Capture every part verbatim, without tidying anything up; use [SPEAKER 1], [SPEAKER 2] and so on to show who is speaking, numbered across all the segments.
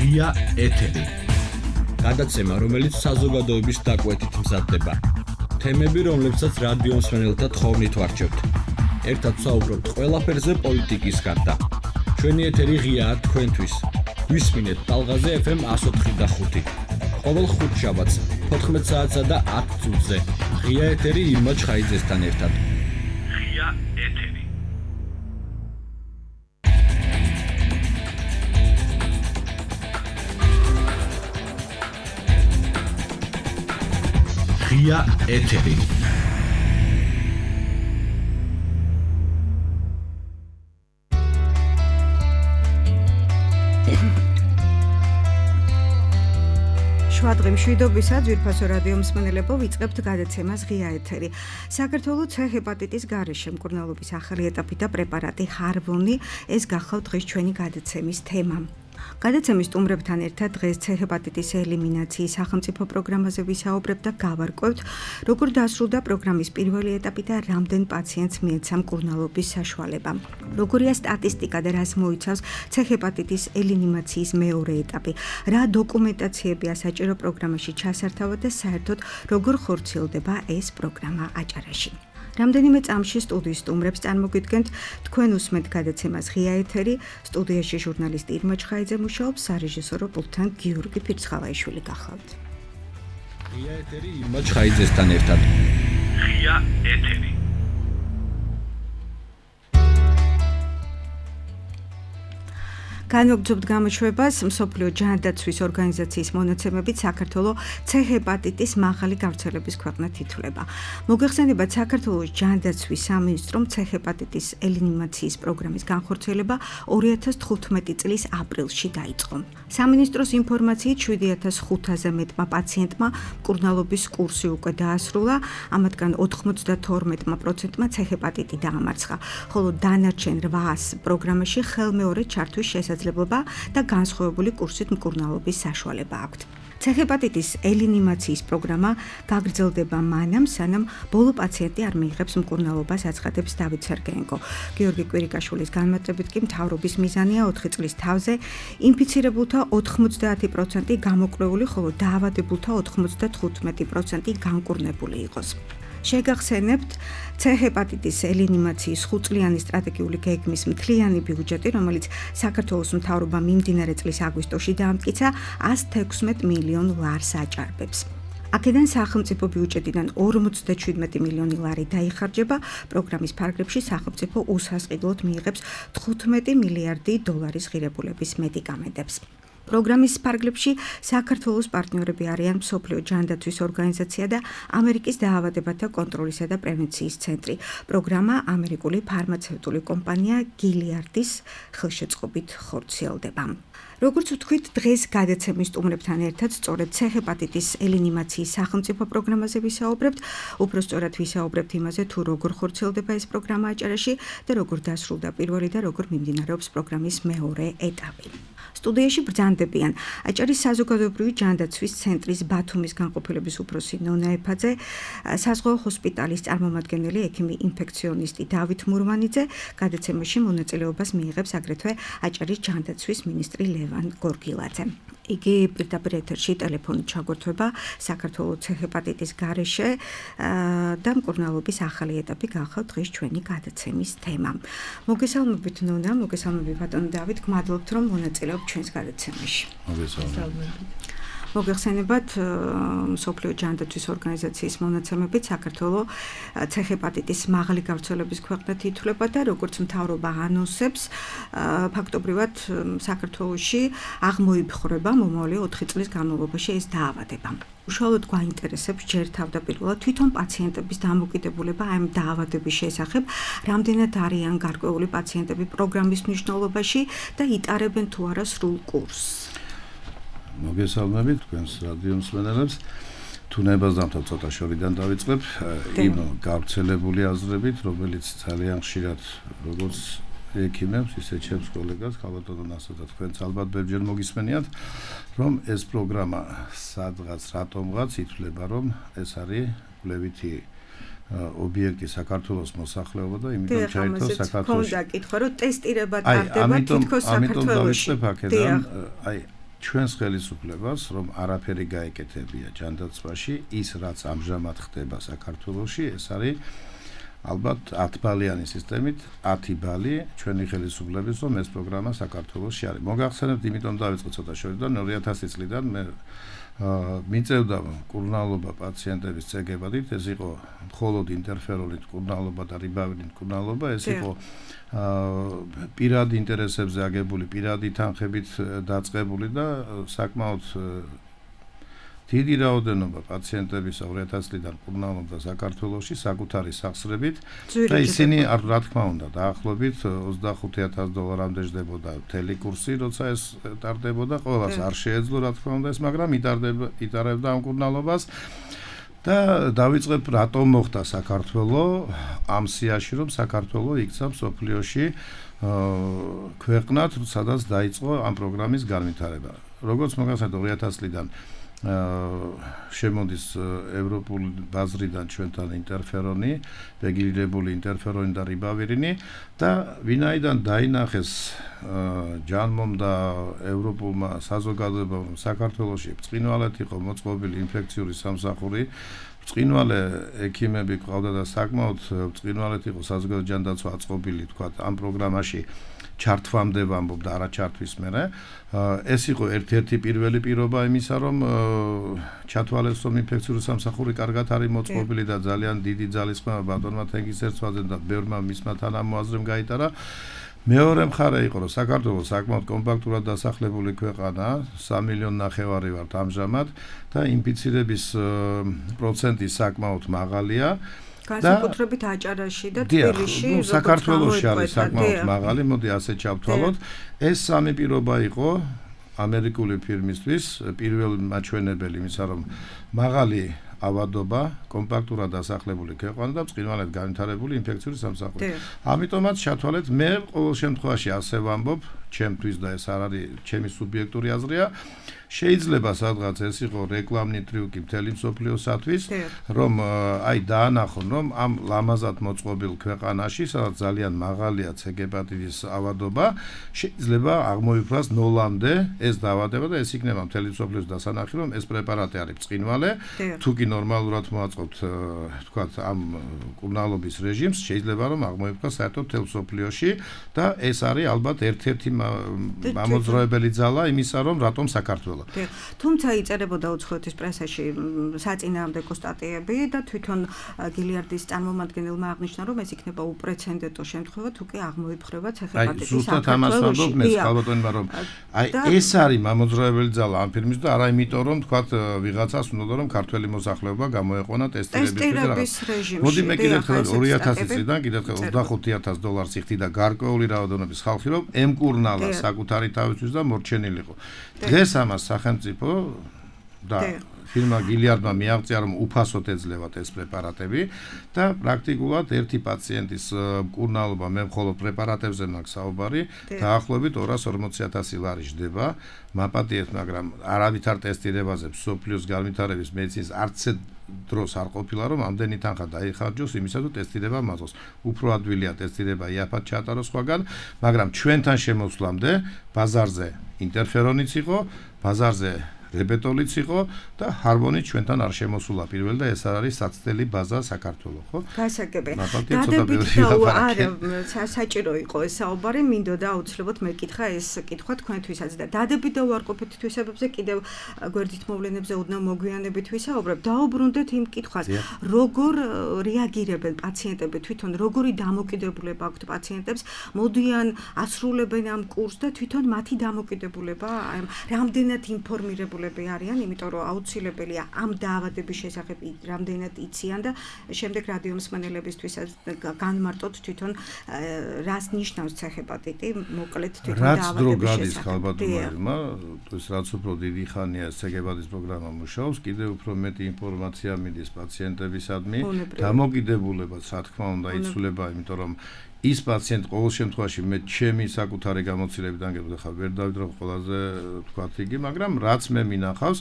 [SPEAKER 1] ღია ეთერი. გადაცემა, რომელიც საზოგადოების დაკვეთით მზადდება. თემები, რომლებსაც რადიო მსმენელთა თხოვნით ვარჩევთ. ერთად ვსაუბრობთ ყველაფერზე პოლიტიკის გარდა. ჩვენი ეთერი ღიაა თქვენთვის. გვისმინეთ ტალღაზე ეფ ემ εκατო ოთხი და ხუთი. ყოველ ხუთშაბათს თოთხმეტ საათსა და ათ წუთზე. ღია ეთერი ირმა ჩხაიძესთან ერთად. ღია ეთერი. ღია ეთერი.
[SPEAKER 2] შვადღი მშვიდობისა, ძვირფასო რადიო მსმენელებო, ვიწყებთ გადაცემას ღია ეთერი. საქართველოს ცე ჰეპატიტის გარეშე მკურნალობის ახალი ეტაპი და პრეპარატი ჰარვონი, ეს გახავთ დღეს ჩვენი გადაცემის თემა. გადაცემის სტუმრებთან ერთად დღეს ცე ჰეპატიტის ელიმინაციის სახელმწიფო პროგრამაზე ვისაუბრებთ და გავარკვევთ, როგორ დასრულდა პროგრამის პირველი ეტაპი და რამდენ პაციენტს მიეცა მკურნალობის საშუალება. როგორია სტატისტიკა და რას მოიცავს ცე ჰეპატიტის ელიმინაციის მეორე ეტაპი, რა დოკუმენტაციებია საჭირო პროგრამაში ჩასართავად და საერთოდ როგორ ხორციელდება ეს პროგრამა აჭარაში. რამდენიმე წამში სტუდიის სტუმრებს წარმოგიდგენთ, თქვენ უსმენთ გადაცემას ღია ეთერი, სტუდიაში ჟურნალისტი ირმა ჩხაიძე მუშაობს, სარეჟისორო პულტთან გიორგი ფირცხალაიშვილი გახლავთ.
[SPEAKER 1] ღია ეთერი ირმა ჩხაიძესთან ერთად. ღია ეთერი.
[SPEAKER 2] განვაგრძობთ გამოშვებას მსოფლიო ჯანდაცვის ორგანიზაციის მონაცემებით საქართველოს ცე ჰეპატიტის მაღალი გავრცელების ქვეყნად ითვლება. მოგეხსენებათ, საქართველოს ჯანდაცვის სამინისტრომ ცე ჰეპატიტის ელიმინაციის პროგრამის განხორციელება ორი ათას თხუთმეტი წლის აპრილში დაიწყო. სამინისტროს ინფორმაციით შვიდი ათას ხუთზე მეტმა პაციენტმა მკურნალობის კურსი უკვე დაასრულა, ამათგან ოთხმოცდათორმეტმა პროცენტმა ცე ჰეპატიტი დაამარცხა, ხოლო დანარჩენ რვას პროგრამაში ხელმეორედ ჩართვის შესაძლებლობა და განსხვავებული კურსით მკურნალობის საშუალება აქვთ. ცე ჰეპატიტის ელიმინაციის პროგრამა გაგრძელდება მანამ, სანამ ბოლო პაციენტი არ მიიღებს მკურნალობას, აცხადებს დავით სერგეენკო. გიორგი კვირიკაშვილის განმარტებით კი მთავრობის მიზანია ოთხი წლის თავზე ინფიცირებულთა ოთხმოცდაათი პროცენტი გამოკვლეული, ხოლო დაავადებულთა ოთხმოცდათხუთმეტი პროცენტი განკურნებული იყოს. შეგახსენებთ, ცე ჰეპატიტის ელიმინაციის ხუთწლიანი სტრატეგიული გეგმის მთლიანი ბიუჯეტი, რომელიც საქართველოს მთავრობამ მიმდინარე წლის აგვისტოში დაამტკიცა, ას თექვსმეტ მილიონ ლარს აჭარბებს. აქედან სახელმწიფო ბიუჯეტიდან ორმოცდაშვიდმეტი მილიონი ლარი დაიხარჯება, პროგრამის ფარგლებში სახელმწიფო უსასყიდლოდ მიიღებს თხუთმეტი მილიარდი დოლარის ღირებულების მედიკამენტებს. პროგრამის ფარგლებში საქართველოს პარტნიორები არიან მსოფლიო ჯანდაცვის ორგანიზაცია და ამერიკის დაავადებათა კონტროლისა და პრევენციის ცენტრი. პროგრამა ამერიკული ფარმაცევტული კომპანია გილიარდის ხელშეწყობით ხორციელდება. როგორც ვთქვით, დღეს გადაცემის სტუმრებთან ერთად სწორედ ცე ჰეპატიტის ელიმინაციის სახელმწიფო პროგრამაზე ვისაუბრებთ, უფრო სწორად ვისაუბრებთ იმაზე, თუ როგორ ხორციელდება ეს პროგრამა აჭარაში და როგორ დასრულდა პირველი და როგორ მიმდინარეობს პროგრამის მეორე ეტაპი. სტუდიაში ბრძანდებიან აჭარის საზოგადოებრივი ჯანდაცვის ცენტრის ბათუმის განყოფილების უფროსი ნონა ეფაძე, საზღვაო ჰოსპიტალის წარმომადგენელი ექიმი ინფექციონისტი დავით მურვანიძე, გადაცემაში მონაწილეობას მიიღებს აგრეთვე აჭარის ჯანდაცვის მინისტრი ლევან გორგილაძე. იგი პირდაპირ ეთერში ტელეფონით ჩაგვერთვება საქართველოს ცე ჰეპატიტის გარეშე და მკურნალობის ახალი ეტაპი გახავთ დღეს ჩვენი გადაცემის თემა. მოგესალმებით ნონა, მოგესალმებით ბატონო დავით, გმადლობთ რომ მონაწილეობთ ჩვენს გადაცემაში.
[SPEAKER 3] მოგესალმებით.
[SPEAKER 2] მოგეხსენებათ, მსოფლიო ჯანდაცვის ორგანიზაციის მონაცემებით საქართველოს ცე ჰეპატიტის მაღალი გავრცელების ქვეყნად ითვლება და როგორც მთავრობა ანონსებს, ფაქტობრივად საქართველოში აღმოიფხვრება მომავალი ოთხი წლის განმავლობაში ეს დაავადება. უშუალოდ გვაინტერესებს ჯერ თავდაპირველად თვითონ პაციენტების დამოკიდებულება ამ დაავადების შესახებ, რამდენად არიან გარკვეული პაციენტები პროგრამის მნიშვნელობაში და იტარებენ თუ არა სრულ კურსს.
[SPEAKER 3] მოგესალმებით თქვენს რადიო მსმენელებს. თუნებას დამთავრ ცოტა შორიდან დავიწყებ იმ გავრცელებული აზრებით, რომელიც ძალიან ხშირად როგორც ექიმებს, ისე ჩემს კოლეგას, ქალბატონო ნასო და თქვენც ალბათ ბევრჯერ მოგისმენიათ, რომ ეს პროგრამა სადღაც რატომღაც ითვლება, რომ ეს არის კვლევითი ობიექტი საქართველოს მოსახლეობა და იმიტომ ჩაირთო საქართველოს.
[SPEAKER 2] ხო, და კითხვა, რომ ტესტირება ტარდება თითქოს საქართველოში.
[SPEAKER 3] ამიტომ დავიწყებ აქედან, აი ჩვენს ხელისუფლებას, რომ არაფერი გაეკეთებია ჯანდაცვაში, ის რაც ამჟამად ხდება საქართველოში, ეს არის ალბათ ათი ბალიანი სისტემით ათი ბალი ჩვენი ხელისუფლების, რომ ეს პროგრამა საქართველოში არის. მოგახსენებთ, იმიტომ დავიწყე ცოტა შორიდან ორი ათასი წლიდან მე მიწევდა მკურნალობა პაციენტების ცეგებადით, ეს იყო მხოლოდ ინტერფერონით მკურნალობა და რიბავირით მკურნალობა, ეს იყო პირად ინტერესებზე აგებული, პირადი თანხებით დაწყებული და საკმაოდ დიდი რაოდენობა პაციენტების ორი ათასი წლიდან მკურნალობდა საქართველოში საკუთარი სახსრებით და ისინი რა თქმა უნდა დაახლოებით ოცდახუთი ათასი დოლარამდე ჯდებოდა მთელი კურსი, როცა ეს ტარდებოდა, ყველას არ შეეძლო რა თქმა უნდა ეს, მაგრამ იტარდება იტარებდა ამ მკურნალობას და დავიწყებ რატომ მოხდა საქართველო ამ სიაში, რომ საქართველო იქცა მსოფლიოში ქვეყნად, სადაც დაიწყო ამ პროგრამის განვითარება. როგორც მოგახსენებთ, ორი ათასი წლიდან შემოდის ევროპული ბაზრიდან ჩვენთან ინტერფერონი, რეგულირებული ინტერფერონი და რიბავირინი და ვინაიდან დაინახეს ჯანმომ და ევროპულმა საზოგადოებამ, რომ საქართველოში ბრწყინვალედ იყო მოწყობილი ინფექციური სამსახური, ბრწყინვალე ექიმები ყავდა და საკმაოდ ბრწყინვალედ იყო საზოგადო ჯანდაცვა აწყობილი, თქვა ამ პროგრამაში ჩართვამდე ვამბობ და არა ჩართვის მერე. ეს იყო ერთ-ერთი პირველი პირობა იმისა, რომ ჩათვალეს, რომ ინფექციური სამსახური კარგად არის მოწყობილი და ძალიან დიდი ძალისხმევა ბატონმა თენგიზერცვაძემ და ბევრმა მისმა თანამოაზრემ გაიტარა. მეორე მხარე იყო, რომ საქართველო საკმაოდ კომპაქტურად დასახლებული ქვეყანა, სამი მილიონი ნახევარი ვართ ამჟამად და ინფიცირების პროცენტი საკმაოდ მაღალია.
[SPEAKER 2] განსაკუთრებით აჭარაში და თბილისში,
[SPEAKER 3] საქართველოში არის საკმაოდ მაღალი, მოდი ასე ჩავთვალოთ. ეს სამი პირობა იყო ამერიკული ფირმისთვის პირველი მაჩვენებელი იმისა, რომ მაღალი ავადობა, კომპაქტურად დასახლებული ქვეყანა და ბრწყინვალედ განვითარებული ინფექციური სამსახური. ამიტომაც ჩათვალეთ, მე ყოველ შემთხვევაში ასე ვამბობ, ჩემთვის და ეს არ არის ჩემი სუბიექტური აზრია, შეიძლება სადღაც ეს იყო რეკლამნი ტრიუკი მთელი მსოფლიოსათვის, რომ აი დაანახონ, რომ ამ ლამაზად მოწყობილ ქვეყანაში, სადაც ძალიან მაღალია ცეგეპატიტის ავადობა, შეიძლება აღმოიფრას ნოლამდე ეს დაავადება და ეს იქნება მთელი მსოფლიოს დასანახი, რომ ეს პრეპარატი არის ბრწყინვალე, თუ კი ნორმალურად მოაწყობთ, თქვათ, ამ მკურნალობის რეჟიმს, შეიძლება რომ აღმოიფრას საერთოდ მთელ მსოფლიოში და ეს არის ალბათ ერთ-ერთი მამოძრავებელი ძალა იმისა, რომ რატომ საქართველო.
[SPEAKER 2] თუმცა იწერებოდა უცხოეთის პრესაში საწინააღმდეგო სტატიები და თვითონ გილიარდის წარმომადგენელმა აღნიშნა, რომ ეს იქნება უპრეცედენტო შემთხვევა, თუ კი აღმოიფხვრება ცეხეპატიტის საქართველოში.
[SPEAKER 3] ზუსტად ამას ვამბობ მე ხალბატონმა, რომ აი ეს არის მამოძრავებელი ძალა ამ ფირმის და არა იმიტომ, რომ თქვათ ვიღაცას უნდა რომ ქართველი მოსახლეობა გამოეყონა ტესტირების
[SPEAKER 2] რეჟიმში.
[SPEAKER 3] მოდი მე კიდევ ხელ ორი ათასი წლიდან კიდევ ხელ ოცდახუთი ათასი დოლარს იხდიდა გარკვეული რაოდენობის ხალხი, რომ ემკურნალა საკუთარი თავისთვის და მორჩენილიყო. დღეს ამას სახელმწიფო და ფირმა გილიარდმა მიაღწია, რომ უფასოდ ეძლევათ ეს პრეპარატები და პრაქტიკულად ერთი პაციენტის მკურნალობა მე მხოლოდ პრეპარატებზე მაქვს საუბარი, დაახლოებით ორას ორმოცი ათასი ლარი ჯდება. მაპატიეთ, მაგრამ არავითარ ტესტირებაზე მსოფლიოს განვითარების მედიცინის არც დროს არ ყოფილა, რომ ამდენი თანხა დაიხარჯოს იმისა, თუ ტესტირება მაწყოს. უფრო ადვილია ტესტირება იაფად ჩაატაროს სხვაგან, მაგრამ ჩვენთან შემოსვლამდე ბაზარზე ინტერფერონიც იყო, ბაზარზე რებეტოლიც იყო და ჰარმონი ჩვენთან არ შემოსულა პირველ და ეს არის საცდელი ბაზა საქართველოს, ხო?
[SPEAKER 2] გასაგები. დადებით და არა საჭირო იყო ეს საუბარი, მინდოდა აუცილებლად მეკითხა ეს კითხვა თქვენთვისაც და დადებით და უარყოფით თვისებებზე კიდევ გვერდით მოვლენებზე ოდნავ მოგვიანებით ვისაუბრებ. დაუბრუნდეთ იმ კითხვას, როგორ რეაგირებენ პაციენტები თვითონ, როგორი დამოკიდებულება აქვთ პაციენტებს, მოდიან ასრულებენ ამ კურსს და თვითონ მათი დამოკიდებულება, რამდენად ინფორმირებული არიან, იმიტომ რომ აუცილებელია ამ დაავადების შესახებ რამდენად იციან და შემდეგ რადიო მსმენელებისთვის განმარტოთ თვითონ რას ნიშნავს ცეხეპატიტი, მოკლედ თვითონ დაავადების შესახებ.
[SPEAKER 3] რაც დრო გადის ხალბატონმა, ეს რაც უფრო დიდი ხანია ცეხეპატიტის პროგრამა მუშაობს, კიდევ უფრო მეტი ინფორმაცია მიდის პაციენტებისადმი, დამოკიდებულებაც რა თქმა უნდა იცვლება, იმიტომ რომ ის პაციენტი ყოველ შემთხვევაში მე ჩემი საკუთარი გამოცდილებიდან გეტყვი, ხა ვერ დავიდრობ ყველაზე თქვათ იგი, მაგრამ რაც მე მინახავს,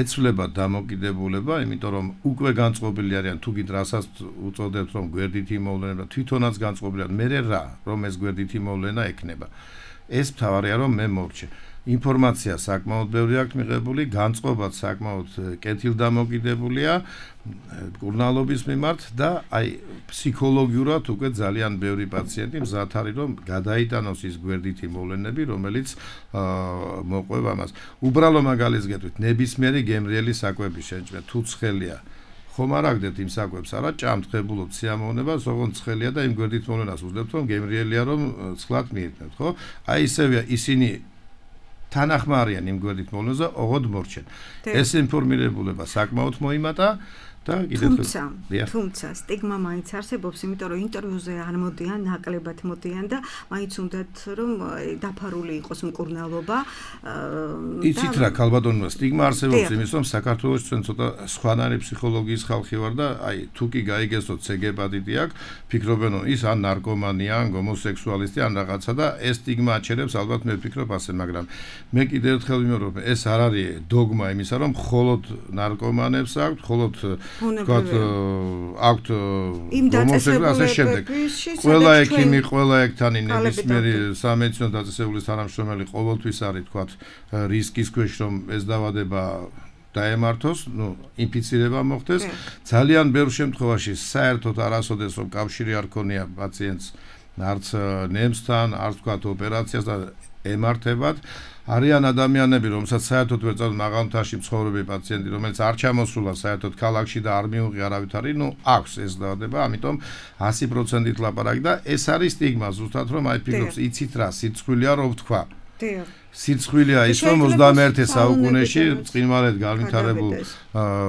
[SPEAKER 3] ეცვლება დამოკიდებულება, იმიტომ რომ უკვე განწყობილი არიან, თუ გით რასაც უწოდებთ, რომ გვერდითი მოვლენა, თვითონაც განწყობილი არიან, მე რა, რომ ეს გვერდითი მოვლენა ექნება. ეს მთავარია, რომ მე მორჩე. ინფორმაცია საკმაოდ ბევრი აქვს მიღებული, განწყობაც საკმაოდ კეთილდამოკიდებულია მკურნალობის მიმართ და აი ფსიქოლოგიურად უკვე ძალიან ბევრი პაციენტი მზად არის რომ გადაიტანოს ის გვერდითი მოვლენები, რომელიც მოყვება ამას. უბრალო მაგალითს გეტყვით, ნებისმიერი გემრიელი საკვების შენჭმე თუ ცხელია ხომ არ აგდეთ იმ საკვებს არა ჭამთ ხებულობთ სიამოვნებას ოღონდ ცხელია და იმ გვერდით მოვლენას უძლებთ რომ გემრიელია რომ ცხლად მიირთმევთ ხო აი ისევია ისინი თანახმარიან იმ გვერდით მოვლენაზე ოღონდ მორჩენ ეს ინფორმირებულება საკმაოდ მოიმატა და
[SPEAKER 2] თუმცა თუმცა სტიგმა მაინც არსებობს იმიტომ რომ ინტერვიუზე არ მოდიან ნაკლებად მოდიან და მაინც უნდათ რომ დაფარული იყოს მკურნალობა
[SPEAKER 3] იცით რა ქალბატონო სტიგმა არსებობს იმის რომ საქართველოს ჩვენ ცოტა სხვანაირი ფსიქოლოგიის ხალხი ვარ და აი თუ კი გაიგესოთ ცეგეპატიტი აქვს ფიქრობენ რომ ის ან ნარკომანია ან გომოსექსუალისტი ან რაღაცა და ეს სტიგმა აჩერებს ალბათ მე ვფიქრობ ასე მაგრამ მე კიდევ ერთხელ ვიმეორებ ეს არ არის დოგმა იმისა რომ მხოლოდ ნარკომანებს აქვს მხოლოდ ვთქვათ აქვთ გომოსექსუალისტი შემდეგ ყველა ექიმი ყველა ექთანი ნებისმიერი სამედიცინო დაწესებულის თანამშრომელი ყოველთვის არის ვთქვათ რისკის ქვეშ რომ ეს დაავადება დაემართოს, ნუ ინფიცირება მოხდეს. ძალიან ბევრ შემთხვევაში საერთოდ არასოდეს რომ კავშირი არ ქონია პაციენტს არც ნემსთან, არც ვთქვათ ოპერაციას და ემართებათ. არიან ადამიანები, რომელსაც საერთოდ ვერ წავ მაღალმთაში მცხოვრები პაციენტი, რომელიც არ ჩამოსულა საერთოდ ქალაქში და არ მიუღი არავითარი, ნუ აქვს ეს დაავადება, ამიტომ ასი პროცენტით ლაპარაკი და ეს არის სტიგმა ზუსტად რომ აი ფიქრობს, იცით რა, სიცხვილია რომ ვთქვა. სიცხვილია ის რომ ოცდამეერთე საუკუნეში წყინვალედ განვითარებულ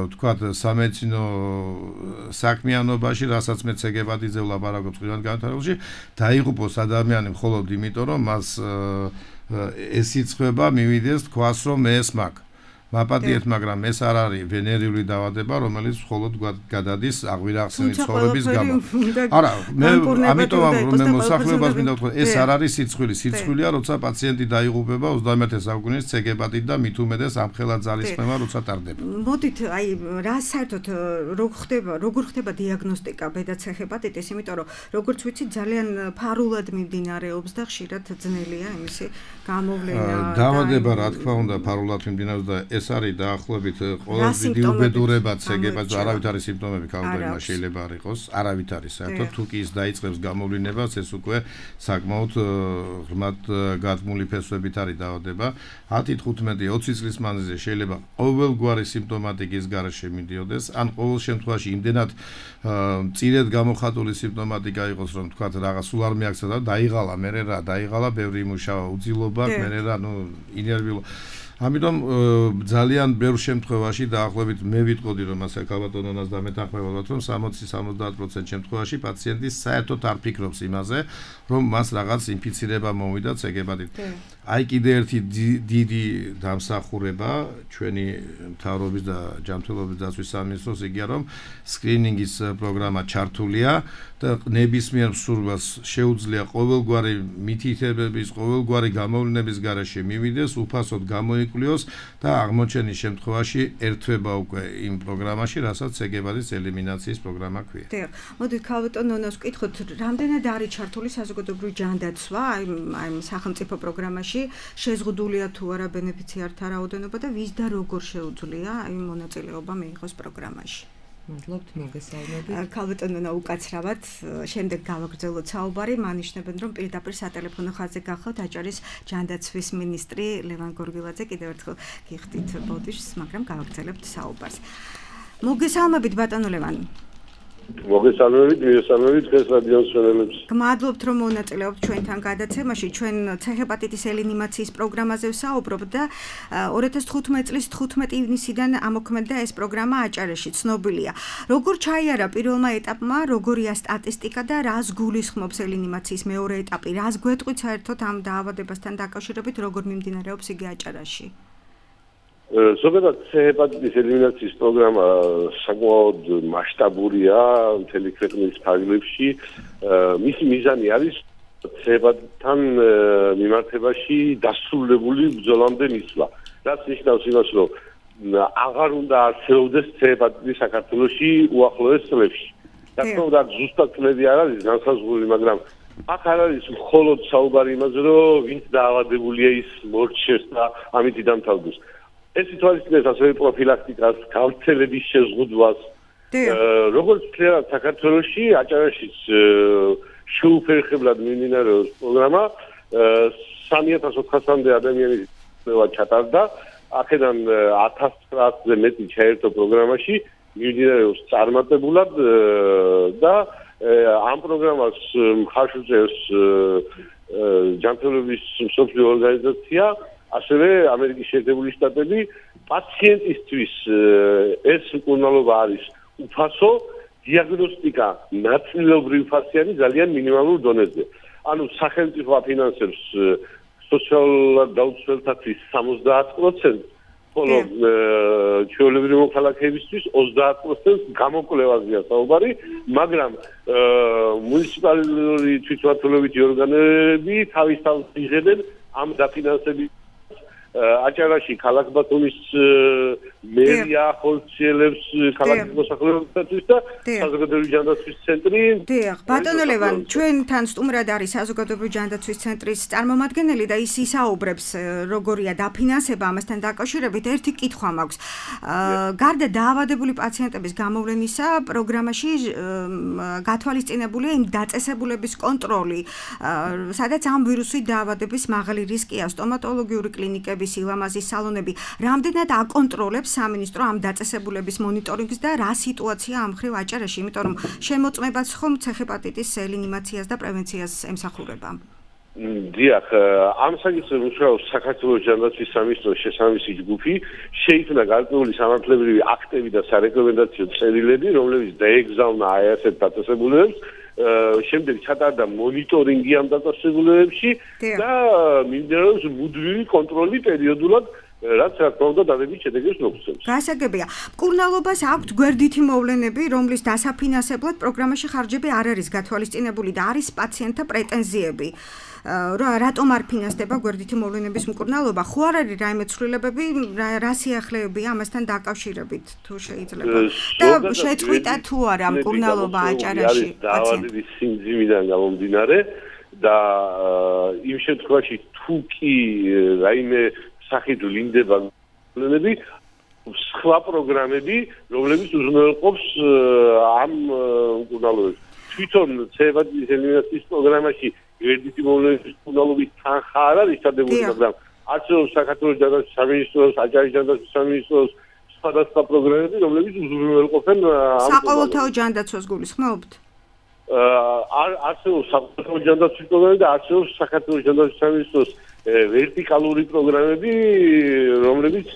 [SPEAKER 3] ვთქვათ სამედიცინო საქმიანობაში, რასაც მე ცეგეპატიძე ვლაპარაკობ წყინვალედ განვითარებულში, დაიღუპოს ადამიანი მხოლოდ იმიტომ რომ მას ეს სიცხება მივიდეს თქვას რომ მე ეს მაქვს. მაპატიეთ, მაგრამ ეს არ არის ვენერიული დაავადება, რომელიც მხოლოდ გადადის აღვირახსენით ცხოვრების გამო. არა, მე ამიტომ რომ მე მოსახლეობას მინდა ვთქვა, ეს არ არის სიცხვილი. სიცხვილია, როცა პაციენტი დაიღუპება ოცდამეერთე საუკუნის ცეგეპატიტ და მით უმეტეს ამხელა ძალისხმევა, როცა ტარდება.
[SPEAKER 2] მოდით, აი, რა საერთოდ როგორ ხდება, როგორ ხდება დიაგნოსტიკა ბედა ცეხეპატიტის, იმიტომ რომ როგორც ვიცი, ძალიან ფარულად მიმდინარეობს და ხშირად ძნელია იმისი გამოვლენა.
[SPEAKER 3] დაავადება, რა თქმა უნდა, ფარულად მიმდინარეობს და ეს არის დაახლოებით ყველაზე დიდი უბედურება ცეგეპატიტს, არავითარი სიმპტომები ქალბატონმა შეიძლება არ იყოს, არავითარი საერთოდ თუ კი ის დაიწყებს გამოვლინებას, ეს უკვე საკმაოდ ღრმად გათმული ფესვებით არის დაავადება. ათი თხუთმეტი ოცი წლის მანძილზე შეიძლება ყოველგვარი სიმპტომატიკის გარეშე მიდიოდეს, ან ყოველ შემთხვევაში იმდენად მწირედ გამოხატული სიმპტომატიკა იყოს, რომ თქვათ რაღაც სულ არ მიაქცია და დაიღალა, მე რა, დაიღალა, ბევრი იმუშავა, უძილობა, მე რა, ნუ ინერვიულობა ამიტომ ძალიან ბევრ შემთხვევაში დაახლოებით მე ვიტყოდი რომ ასე ქალბატონონას დამეთანხმებულად რომ სამოცი სამოცდაათ პროცენტ შემთხვევაში პაციენტი საერთოდ არ ფიქრობს იმაზე რომ მას რაღაც ინფიცირება მოვიდა ცეგეპატიტით. აი კიდე ერთი დიდი დამსახურება ჩვენი მთავრობის და ჯანმრთელობის დაცვის სამინისტროს იგია რომ სკრინინგის პროგრამა ჩართულია და ნებისმიერ მსურველს შეუძლია ყოველგვარი მითითებების, ყოველგვარი გამოვლენების გარეშე მივიდეს, უფასოდ გამოიკვლიოს და აღმოჩენის შემთხვევაში ერთვება უკვე იმ პროგრამაში, რასაც ცეგეპატიტის ელიმინაციის პროგრამა ქვია.
[SPEAKER 2] დიახ, მოდით ქალბატონონას ვკითხოთ, რამდენად არის ჩართული საზოგადოებრივი ჯანდაცვა აი ამ სახელმწიფო პროგრამაში, შეზღუდულია თუ არა ბენეფიციართა რაოდენობა და ვის და როგორ შეუძლია აი მონაწილეობა მიიღოს პროგრამაში.
[SPEAKER 4] მადლობთ მოგესალმებით.
[SPEAKER 2] ქალბატონონა უკაცრავად შემდეგ გავაგრძელოთ საუბარი, მანიშნებენ რომ პირდაპირ სატელეფონო ხაზზე გახლავთ აჭარის ჯანდაცვის მინისტრი ლევან გორგილაძე კიდევ ერთხელ გიხდით ბოდიშს, მაგრამ გავაგრძელებთ საუბარს. მოგესალმებით ბატონო ლევან.
[SPEAKER 5] მოგესალმებით, მოგესალმებით დღეს რადიოს მსმენელებს.
[SPEAKER 2] გმადლობთ რომ მონაწილეობთ ჩვენთან გადაცემაში. ჩვენ ცეხეპატიტის ელინიმაციის პროგრამაზე ვსაუბრობთ და ორი ათას თხუთმეტი წლის თხუთმეტი ივნისიდან ამოქმედდა ეს პროგრამა აჭარაში, ცნობილია. როგორ ჩაიარა პირველმა ეტაპმა, როგორია სტატისტიკა და რას გულისხმობს ელინიმაციის მეორე ეტაპი? რას გვეტყვით საერთოდ ამ დაავადებასთან დაკავშირებით, როგორ მიმდინარეობს იგი აჭარაში?
[SPEAKER 5] ზოგადად ცეხეპატიტის ელიმინაციის პროგრამა საკმაოდ მასშტაბურია მთელი ქვეყნის ფარგლებში. მისი მიზანი არის ცეხეპატიტთან მიმართებაში დასრულებული ბრძოლამდე მისვლა. რაც ნიშნავს იმას, რომ აღარ უნდა არსებობდეს ცეხეპატიტი საქართველოში უახლოეს წლებში. რა თქმა უნდა, ზუსტად წლები არ არის განსაზღვრული, მაგრამ აქ არ არის მხოლოდ საუბარი იმაზე, რომ ვინც დაავადებულია ის მორჩეს და ამით დამთავრდეს. ეს ითვალისწინებს ასევე პროფილაქტიკას, გავრცელების შეზღუდვას. როგორც ვთქვათ, საქართველოში აჭარაშიც შეუფერხებლად მიმდინარეობს პროგრამა სამი ათას ოთხასამდე ადამიანის ყველა ჩატარდა. აქედან ათას ცხრაასზე მეტი ჩაერთო პროგრამაში, მიმდინარეობს წარმატებულად და ამ პროგრამას მხარს უჭერს ჯანმრთელობის მსოფლიო ორგანიზაცია, ასევე ამერიკის შეერთებული შტატები. პაციენტისთვის ეს მკურნალობა არის უფასო, დიაგნოსტიკა ნაწილობრივ ფასიანი ძალიან მინიმალურ დონეზე. ანუ სახელმწიფო აფინანსებს სოციალურად დაუცველთათვის სამოცდაათ პროცენტს, ხოლო ჩვეულებრივი მოქალაქეებისთვის ოცდაათ პროცენტს გამოკვლევაზეა საუბარი, მაგრამ მუნიციპალური თვითმმართველობითი ორგანოები თავის თავს იღებენ ამ დაფინანსების აჭარაში ქალაქ ბათუმის მერია ხორციელებს ქალაქის მოსახლეობისათვის და საზოგადოებრივი ჯანდაცვის ცენტრი.
[SPEAKER 2] დიახ, ბატონო ლევან, ჩვენთან სტუმრად არის საზოგადოებრივი ჯანდაცვის ცენტრის წარმომადგენელი და ის ისაუბრებს როგორია დაფინანსება ამასთან დაკავშირებით. ერთი კითხვა მაქვს. გარდა დაავადებული პაციენტების გამოვლენისა, პროგრამაში გათვალისწინებულია იმ დაწესებულების კონტროლი, სადაც ამ ვირუსით დაავადების მაღალი რისკია, სტომატოლოგიური კლინიკები, სილამაზის სალონები. რამდენად აკონტროლებს სამინისტრო ამ დაწესებულების მონიტორინგს და რა სიტუაცია ამ მხრივ აჭარაში, იმიტომ რომ შემოწმებაც ხომ ცეჰეპატიტის რეანიმაციას და პრევენციას ემსახურება.
[SPEAKER 5] დიახ, ამ საკითხზე მუშაობს საქართველოს ჯანდაცვის სამინისტროს შესაბამისი ჯგუფი, შეიქმნა გარკვეული სამართლებრივი აქტები და სარეკომენდაციო წერილები, რომლებიც დაეგზავნა აი ასეთ დაწესებულებებს. შემდეგ ჩატარდა მონიტორინგი ამ დაწესებულებებში და მიმდინარეობს მუდმივი კონტროლი პერიოდულად, რაც რა თქმა უნდა დადებით შედეგებს მოგცემს.
[SPEAKER 2] გასაგებია. მკურნალობას აქვთ გვერდითი მოვლენები, რომლის დასაფინანსებლად პროგრამაში ხარჯები არ არის გათვალისწინებული და არის პაციენტთა პრეტენზიები. რატომ არ ფინანსდება გვერდითი მოვლენების მკურნალობა? ხო არ არის რაიმე ცვლილებები, რა სიახლეებია ამასთან დაკავშირებით, თუ შეიძლება? და შეწყვიტა თუ არა მკურნალობა აჭარაში
[SPEAKER 5] პაციენტების სიმძიმიდან გამომდინარე და იმ შემთხვევაში თუ კი რაიმე სახით ვლინდება მოვლენები, სხვა პროგრამები, რომლებიც უზრუნველყოფს ამ მკურნალობებს. თვითონ ცეჰეპატიტის ელიმინაციის პროგრამაში გვერდითი მოვლენების მკურნალობის თანხა არ არის ჩადებული, მაგრამ არსებობს საქართველოს ჯანდაცვის სამინისტროს, აჭარის ჯანდაცვის სამინისტროს სხვადასხვა პროგრამები, რომლებიც უზრუნველყოფენ ამ
[SPEAKER 2] საყოველთაო ჯანდაცვას გულისხმობთ?
[SPEAKER 5] არსებობს საყოველთაო ჯანდაცვის პროგრამები და არსებობს საქართველოს ჯანდაცვის სამინისტროს ვერტიკალური პროგრამები, რომლებიც